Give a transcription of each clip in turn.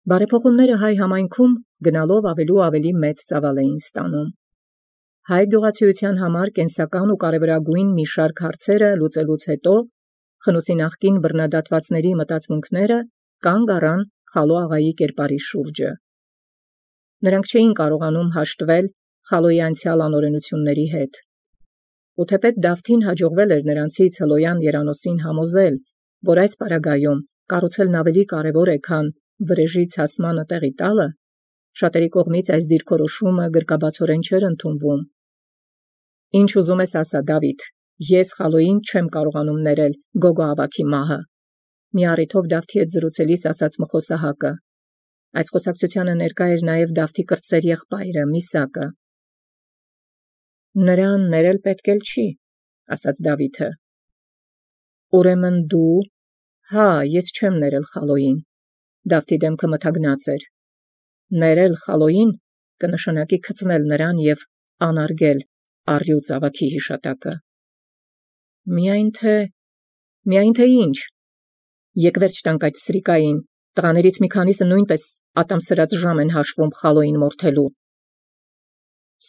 Բարեփոխումները հայ համայնքում գնալով ավելի ու ավելի մեծ ծավալ էին ստանում։ Հայ գյուղացիության համար կենսական ու կարևորագույն մի շարք հարցերը լուծելուց հետո Խնոսի նախկին բռնադատվածների մտածմունքները կանգ առան Խալո աղայի կերպարի շուրջը։ Նրանք չէին կարողանում հաշտվել Խալոյի անցյալ անօրենությունների հետ։ Ու թեպետ Դավթին հաջողվել էր նրանցից Հլոյան երանոսին համոզել, որ այս պարագայում կառուցելն ավելի կարևոր է, քան վրեժի ցասմանը տեղի տալը, շատերի կողմից այս դիրքորոշումը գրկաբացորեն չէր ընդունվում։ Ինչ ուզում ես ասա, Դավիթ, ես Խալոյին չեմ կարողանում ներել Գոգո ավագի մահը։ Մի առիթով Դավթի հետ զրուցելիս ասաց Մխոսահակը։ Այս խոսակցությանը ներկա էր նաև Դավթի կրտսեր եղբայրը Միսակը։ Նրան ներել պետք էլ չի, ասաց Դավիթը։ Ուրեմն դու, հա, ես չեմ ներել Խալոյին։ Դավթի դեմքը մթագնած էր։ Ներել Խալոյին կնշանակի գցնել նրան և անարգել առյուծ ավագի հիշատակը։ Միայն թե ինչ։ Եկ վերջ տանք այդ սրիկային, տղաներից մի քանիսը նույնպես ատամ սրած ժամ են հաշվում Խալոյին մորթելու։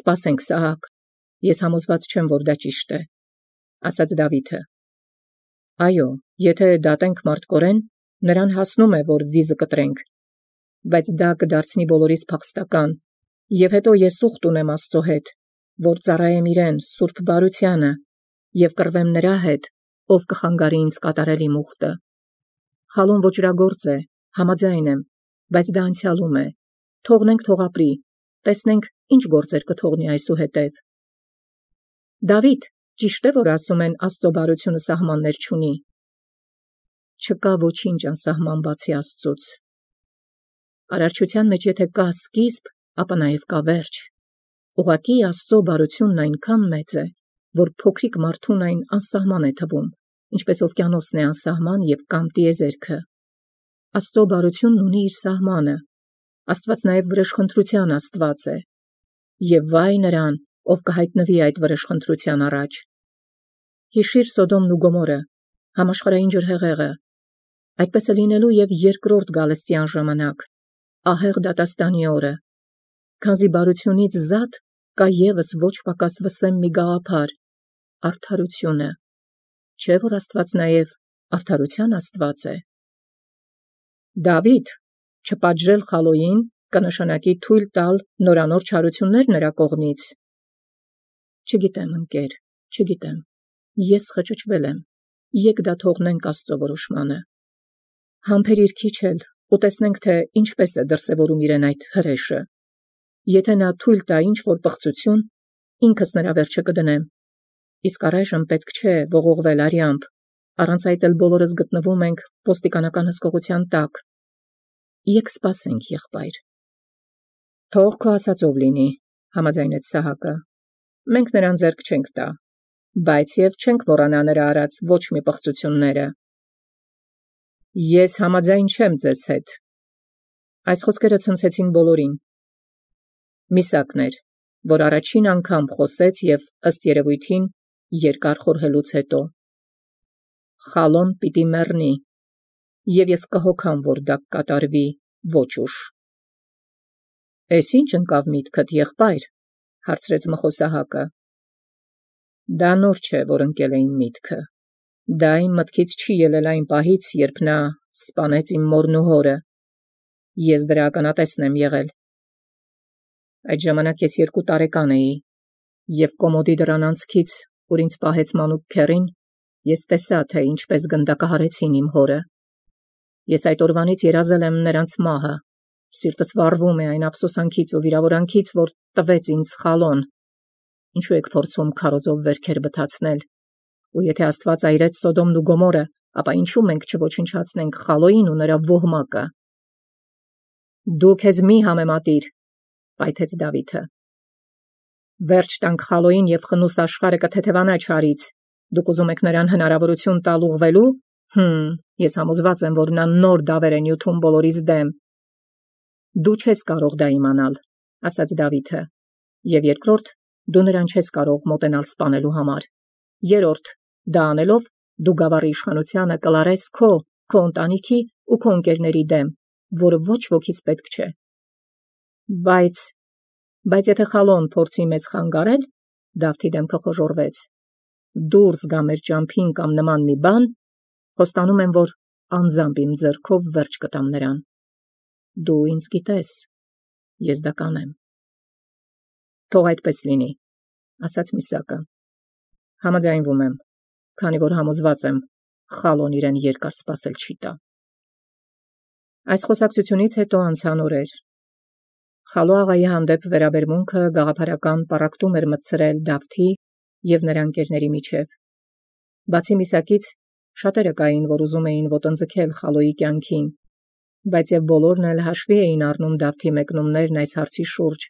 Սպասենք, Սահակ, ես համոզված չեմ, որ դա ճիշտ է, ասաց Դավիթը։ Այո, եթե դատենք մարդկորեն, նրան հասնում է, որ վիզը կտրենք, բայց դա կդարձնի բոլորիս փախստական, և հետո ես ուխտ ունեմ Աստծո հետ, որ ծառայեմ իրեն սուրբ բարությանը և կռվեմ նրա հետ, ով կխանգարի ինձ կատարել իմ ուխտը։ Խալոն ոճրագործ է, համաձայն եմ, բայց դա անցյալում է։ Թողնենք թող ապրի, տեսնենք ինչ գործեր կթողնի այսուհետև։ Դավիթ, ճիշտ է, որ ասում են Աստծո բարությունը սահմաններ չունի։ Չկա ոչինչ անսահման բացի Աստծուց։ Արարչության մեջ եթե կա սկիզբ, ապա նաև կա վերջ։ Ուղղակի Աստծո բարությունն այնքան մեծ է, որ փոքրիկ մարդուն այն անսահման է թվում, ինչպես օվկիանոսն է անսահման և կամ տիեզերքը։ Աստծո բարությունն ունի իր սահմանը։ Աստված նաև վրեժխնդրության Աստված է։ Եվ վայ նրան, ով կհայտնվի այդ վրեժխնդրության առաջ։ Հիշիր Սոդոմն ու Գոմորը, համաշխարհային ջրհեղեղը։ Այդպես է լինելու և երկրորդ գալստյան ժամանակ, ահեղ դատաստանի օրը, քանզի բարությունից զատ կա ևս ոչ պակաս վսեմ մի գաղափար, արդարությունը, չէ՞ որ Աստված նաև արդարության Աստված է։ Դավիթ, չպատժել Խալոյին կնշանակի թույլ տալ նորանոր չարություններ նրա կողմից։ Չգիտեմ, ընկեր, չգիտեմ, ես խճճվել եմ, եկ դա թողնենք Աստծո որոշմանը։ Համբերիր քիչ էլ ու տեսնենք, թե ինչպես է դրսևորում իրեն այդ հրեշը։ Եթե նա թույլ տա ինչ-որ պղծություն, ինքս նրա վերջը կդնեմ։ Իսկ առայժմ պետք չէ ողողվել արյամբ, առանց այդ էլ բոլորս գտնվում ենք ոստիկանական հսկողության տակ։ Եկ սպասենք, եղբայր։ Թող քո ասածով լինի, համաձայնեց Սահակը։ Մենք նրան ձեռք չենք տա, բայց և չենք մոռանա նրա արած ոչ մի պղծությունները։ Ես համաձայն չեմ ձեզ հետ։ Այս խոսքերը ցնցեցին բոլորին։ Միսակն էր, որ առաջին անգամ խոսեց և ըստ երևույթին երկար խորհելուց հետո։ Խալոն պիտի մեռնի, և ես կհոգամ, որ դա կատարվի ոչ ուշ։ Էս ինչ ընկավ միտքդ, եղբայր, հարցրեց Մխոսահակը։ Դա նոր չէ, որ ընկել է իմ միտքը։ Դա իմ մտքից չի ելել այն պահից, երբ նա սպանեց իմ մորն ու հորը։ Ես դրա ականատեսն եմ եղել։ Այդ ժամանակ ես 2 տարեկան էի, և կոմոդի դռան անցքից, ուր ինձ պահեց մանուկ քեռին, ես տեսա, թե ինչպես գնդակահարեցին իմ հորը։ Ես այդ օրվանից երազել եմ նրանց մահը։ Սիրտս վառվում է այն ափսոսանքից ու վիրավորանքից, որ տվեց ինձ Խալոն։ Ինչու եք փորձում քարոզով վերքեր բթացնել։ Ու եթե Աստված այրեց Սոդոմն ու Գոմորը, ապա ինչու մենք չոչնչացնենք Խալոյին ու նրա ոհմակը։ Դու քեզ մի համեմատիր, պայթեց Դավիթը։ Վերջ տանք Խալոյին և խնուս աշխարհը կթեթևանա չարից։ Դուք ուզում եք նրան հնարավորություն տալ ուղղվելու։ Ես համոզված եմ, որ նա նոր դավեր է նյութում բոլորիս դեմ։ Դու չես կարող դա իմանալ, ասաց Դավիթը։ Եվ երկրորդ, դու նրան չես կարող մոտենալ սպանելու համար։ Երրորդ, դա անելով, դու գավառի իշխանությանը կլարես քո ընտանիքի ու քո ընկերների դեմ, որը ոչ ոքից պետք չէ։ Բայց եթե խալոն փորձի մեզ խանգարել, Դավթի դեմքը խոժոռվեց, դուրս գա մեր ճամփին կամ նման մի բան, խոստանում եմ, որ անձամբ իմ ձեռքով վերջ կտամ նրան։ Դու ինձ գիտես, ես դա կանեմ։ Թող այդպես լինի, ասաց Միսակը։ Համաձայնվում եմ, քանի որ համոզված եմ, խալոն իրեն երկար սպասել չի տա։ Այս խոսակցությունից հետո անցան օրեր։ Խալո աղայի հանդեպ վերաբերմունքը գաղափարական պառակտում էր մտցրել Դավթի և նրա ընկերների միջև։ Բացի Միսակից, շատերը կային, որ ուզում էին ոտնձգել Խալոյի կյանքին, բայց և բոլորն էլ հաշվի էին առնում Դավթի մեկնումներն այս հարցի շուրջ,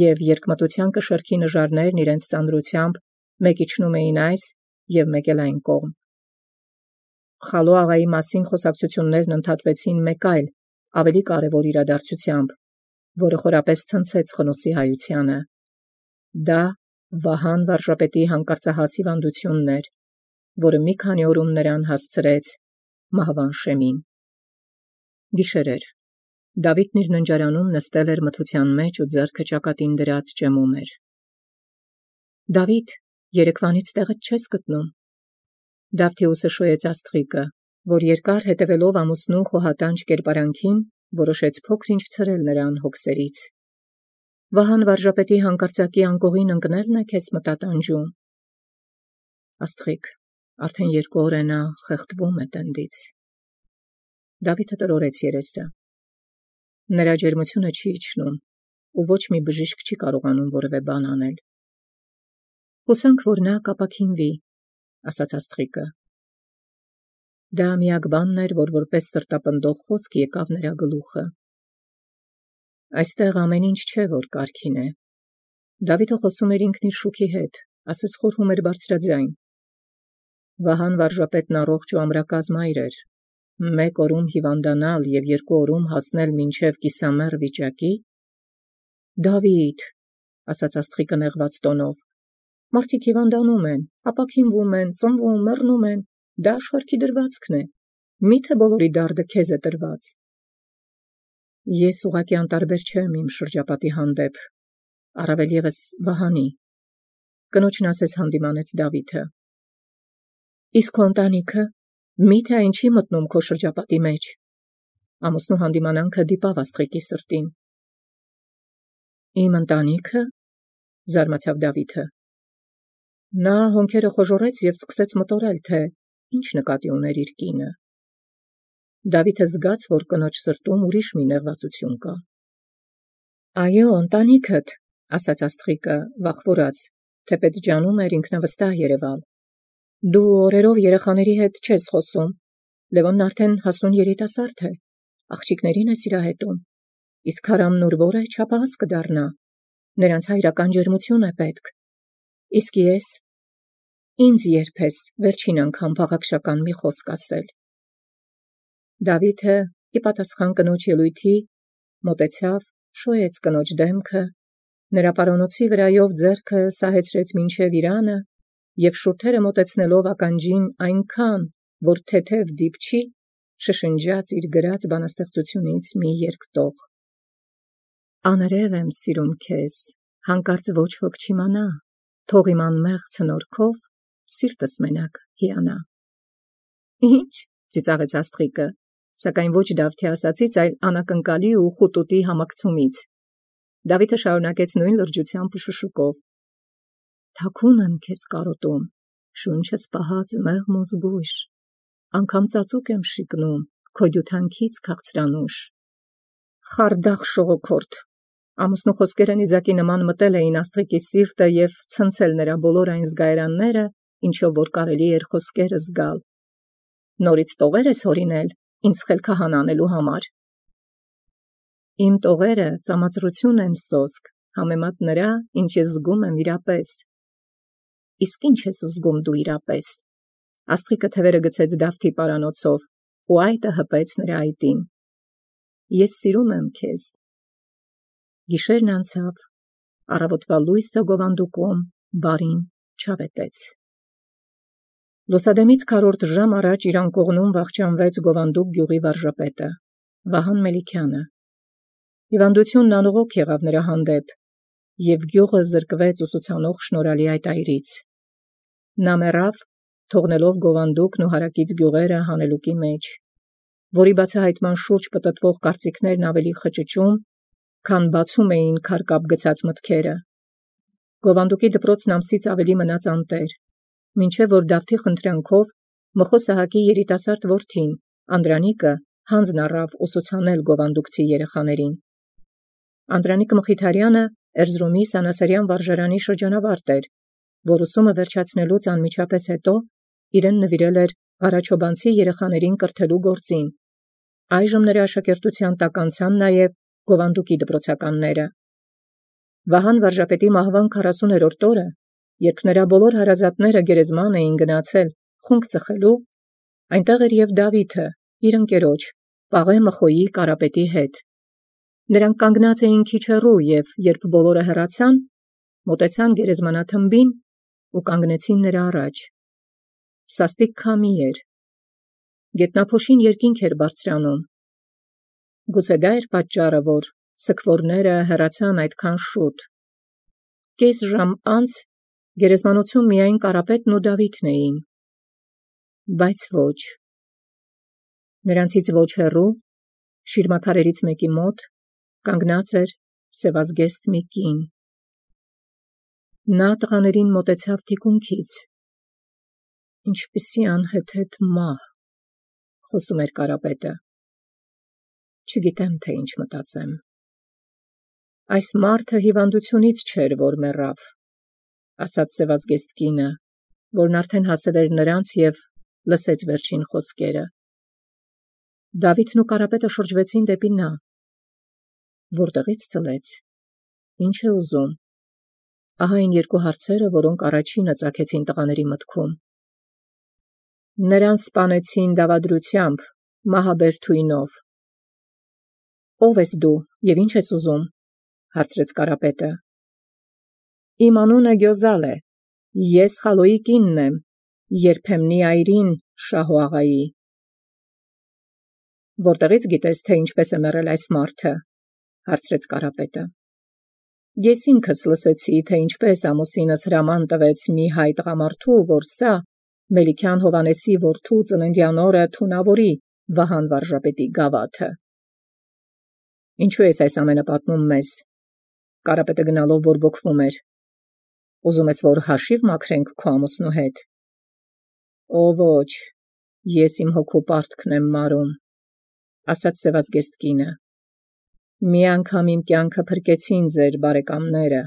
և երկմտության կշեռքի նժարներն իրենց ծանրությամբ մեկ իջնում էին այս և մեկ էլ այն կողմ։ Խալո աղայի մասին խոսակցություններն ընդհատվեցին մեկ այլ, ավելի կարևոր իրադարձությամբ, որը խորապես ցնցեց Խնոսի հայությանը։ Դա Վահան վարժապետի հանկարծահաս հիվանդությունն էր, որը մի քանի օրում նրան հասցրեց մահվան շեմին։ Գիշեր էր։ Դավիթն իր ննջարանում նստել էր մթության մեջ ու ձեռքը ճակատին դրած ճեմում էր։ Դավիթ, երեկվանից տեղդ չես գտնում։ Դավթի ուսը շոյեց աստղիկը, որ երկար հետևելով ամուսնու խոհատանջ կերպարանքին, որոշեց փոքր-ինչ ցրել նրան հոգսերից։ Վահան վարժապետի հանկարծակի անկողին ընկնելն է քեզ մտատանջում։ Աստղիկ, արդեն 2 օր է նա խեղդվում է տենդից։ Դավիթը տրորեց երեսը։ Նրա ջերմությունը չի իջնում, ու ոչ մի բժիշկ չի կարողանում որևէ բան անել։ Հուսանք, որ նա կապաքինվի, ասաց աստղիկը։ Դա միակ բանն էր, որ որպես սրտապնդող խոսք եկավ նրա գլուխը։ Այստեղ ամեն ինչ չէ, որ կարգին է։ Դավիթը խոսում էր ինքն իր շուքի հետ, ասես խորհում էր բարձրաձայն։ Վահան վարժապետն առողջ ու ամրակազմ այր էր։ 1 օրում հիվանդանալ և 2 օրում հասնել մինչև կիսամեռ վիճակի։ Դավիթ, ասաց աստղիկը նեղված տոնով, մարդիկ հիվանդանում են, ապաքինվում են, ծնվում, մեռնում են, դա աշխարհքի դրվածքն է, միթե բոլորի դարդը քեզ է տրված։ Ես ուղղակի անտարբեր չեմ իմ շրջապատի հանդեպ, առավել ևս Վահանի, կնոջն ասես հանդիմանեց Դավիթը։ Իսկ քո ընտանիքը, միթե այն չի մտնում քո շրջապատի մեջ։ Ամուսնու հանդիմանանքը դիպավ աստղիկի սրտին։ Իմ ընտանիքը, զարմացավ Դավիթը։ Նա հոնքերը խոժոռեց և սկսեց մտորել, թե ինչ նկատի ուներ իր կինը։ Դավիթը զգաց, որ կնոջ սրտում ուրիշ մի նեղվածություն կա։ Այո, ընտանիքդ, ասաց աստղիկը, վախվորած, թեպետ ջանում էր ինքնավստահ երևալ։ Դու օրերով երեխաների հետ չես խոսում։ Լևոնն արդեն հասուն երիտասարդ է, աղջիկներին է սիրահետում, իսկ Հարամն ուր որը չափահաս կդառնա, նրանց հայրական ջերմություն է պետք։ Իսկ ես, ինձ երբես վերջին անգամ փաղաքշական մի խոսք ասել։ Դավիթը, ի պատասխան կնոջ ելույթի, մոտեցավ, շոյեց կնոջ դեմքը, նրա պարանոցի վրայով ձեռքը սահեցրեց մինչև իրանը և շուրթերը մոտեցնելով ականջին այնքան, որ թեթև դիպչի, շշնջաց իր գրած բանաստեղծությունից մի երկտող. Աներև եմ սիրում քեզ, հանկարծ ոչ ոք չիմանա, թող իմ անմեղ ցնորքով սիրտս մենակ հիանա։ Ինչ, ծիծաղեց աստղիկը, սակայն ոչ Դավթի ասածից, այլ անակնկալի ու խուտուտի համակցումից։ Դավիթը շարունակեց նույն լրջությամբ ու շշուկով. Թաքուն եմ քեզ կարոտում, շունչս պահած մեղմ ու զգույշ, անգամ ծածուկ եմ շիկնում, քո դյութանքից քաղցրանուշ։ Խարդախ շողոքորթ, ամուսնու խոսքերը նիզակի նման մտել էին աստղիկի սիրտը և ցնցել նրա բոլոր այն զգայարանները, ինչով որ կարելի էր խոսքերը զգալ։ Նորից տողեր ես հորինել ինձ խելքահան անելու համար։ Իմ տողերը ծամածրություն են սոսկ, համեմատ նրա, ինչ ես զգում եմ իրապես։ Իսկ ինչ ես զգում դու իրապես։ Աստղիկը թևերը գցեց Դավթի պարանոցով, ու այտը հպեց նրա այտին։ Ես սիրում եմ քեզ։ Գիշերն անցավ, առավոտվա լույսը գովանդուկում բարին չավետեց։ Լուսադեմից քառորդ ժամ առաջ իր անկողնում վախճանվեց Գովանդուկ գյուղի վարժապետը։ Վահան Մելիքյանը։ Հիվանդությունն անողոք եղավ նրա հանդեպ, և գյուղը զրկվեց ուսուցանող շնորհալի այդ այրից։ Նա մեռավ, թողնելով գովանդուկն ու հարակից գյուղերը հանելուկի մեջ, որի բացահայտման շուրջ պտտվող կարծիքներն ավելի խճճում, քան բացում էին քարկապ գցած մտքերը։ Գովանդուկի դպրոցն ամսից ավելի մնաց անտեր, մինչև որ Դավթի խնդրանքով Մխո Սահակի երիտասարդ որդին, Անդրանիկը, հանձն առավ ուսուցանել գովանդուկցի երեխաներին։ Անդրանիկ Մխիթարյանը Էրզրումի Սանասարյան վարժարանի շրջանավարտ էր, որ ուսումը վերջացնելուց անմիջապես հետո իրեն նվիրել էր Ղարաչոբանցի երեխաներին կրթելու գործին։ Այժմ նրա աշակերտության տակ անցան նաև գովանդուկի դպրոցականները։ Վահան վարժապետի մահվան 40-րդ օրը, երբ նրա բոլոր հարազատները գերեզման էին գնացել խունկ ծխելու, այնտեղ էր և Դավիթը, իր ընկերոջ, Պաղե Մխոյի Կարապետի հետ։ Նրանք կանգնած էին քիչ հեռու և, երբ բոլորը հեռացան, մոտեցան գերեզմանաթմբին ու կանգնեցին նրա առաջ։ Սաստիկ քամի էր։ Գետնափոշին երկինք էր բարձրանում։ Գուցե դա էր պատճառը, որ սգվորները հեռացան այդքան շուտ։ Կես ժամ անց գերեզմանոցում միայն Կարապետն ու Դավիթն էին։ Բայց ոչ։ Նրանցից ոչ հեռու, շիրմաքարերից մեկի մոտ, կանգնած էր սևազգեստ մի կին։ Նա տղաներին մոտեցավ թիկունքից։ Ինչպիսի անհեթեթ մահ, խոսում էր Կարապետը։ Չգիտեմ, թե ինչ մտածեմ։ Այս մարդը հիվանդությունից չէր, որ մեռավ, ասաց սևազգեստ կինը, որն արդեն հասել էր նրանց և լսեց վերջին խոսքերը։ Դավիթն ու Կարապետը շրջվեցին դեպի նա։ Որտեղից ծլեց։ Ինչ է ուզում։ Ահա այն երկու հարցերը, որոնք առաջինը ծագեցին տղաների մտքում։ Նրան սպանեցին դավադրությամբ, մահաբեր թույնով։ Ո՞վ ես դու և ինչ ես ուզում, հարցրեց Կարապետը։ Իմ անունը Գյոզալ է, ես Խալոյի կինն եմ, երբեմնի այրին Շահո աղայի։ Որտեղից գիտես, թե ինչպես է մեռել այս մարդը, հարցրեց Կարապետը։ Ես ինքս լսեցի, թե ինչպես ամուսինս հրաման տվեց մի հայ տղամարդու, որ սա Մելիքյան Հովանեսի որդու ծննդյան օրը թունավորի Վահան վարժապետի գավաթը։ Ինչու ես այս ամենը պատմում մեզ։ Կարապետը գնալով բորբոքվում էր։ Ուզում ես, որ հաշիվ մաքրենք քո ամուսնու հետ։ Օ ոչ, ես իմ հոգու պարտքն եմ մարում, ասաց սևազգեստ կինը։ Մի անգամ իմ կյանքը փրկեցին ձեր բարեկամները։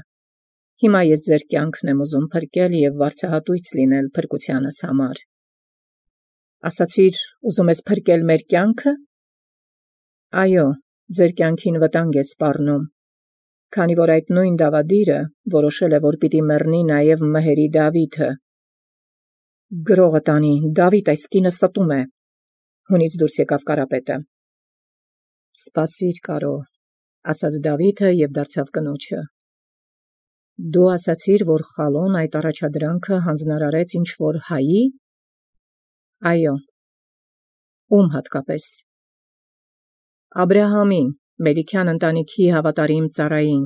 Հիմա ես ձեր կյանքն եմ ուզում փրկել և վարձահատույց լինել փրկությանս համար։ Ասացիր, ուզում ես փրկել մեր կյանքը։ Այո, ձեր կյանքին վտանգ է սպառնում, քանի որ այդ նույն դավադիրը որոշել է, որ պիտի մեռնի նաև Մհերի Դավիթը։ Գրողը տանի, Դավիթ այս կինը ստում է, հունից դուրս եկավ Կարապետը։ Սպասիր, Կարո, ասաց Դավիթը և դարձավ կնոջը։ Դու ասացիր, որ Խալոն այդ առաջադրանքը հանձնարարեց ինչ-որ հայի։ Այո։ Ում հատկապես։ Աբրահամին, Մելիքյան ընտանիքի հավատարիմ ծառային։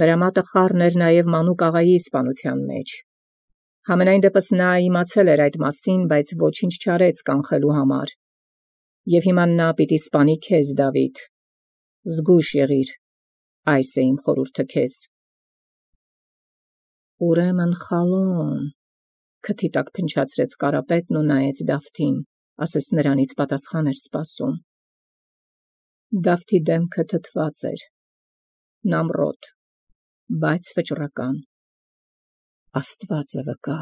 Նրա մատը խառն էր նաև Մանուկ աղայի սպանության մեջ։ Համենայն դեպս նա իմացել էր այդ մասին, բայց ոչինչ չարեց կանխելու համար։ Եվ հիմա նա պիտի սպանի քեզ, Դավիթ։ Զգույշ եղիր, այս է իմ խորհուրդը քեզ։ Ուրեմն Խալոն, քթի տակ փնչացրեց Կարապետն ու նայեց Դավթին, ասես նրանից պատասխան էր սպասում։ Դավթի դեմքը թթված էր, նամրոտ, բայց վճռական։ Աստված է վկա,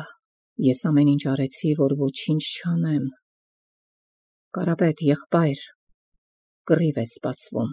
ես ամեն ինչ արեցի, որ ոչինչ չանեմ։ Կարապետ, եղբայր, կռիվ է սպասվում։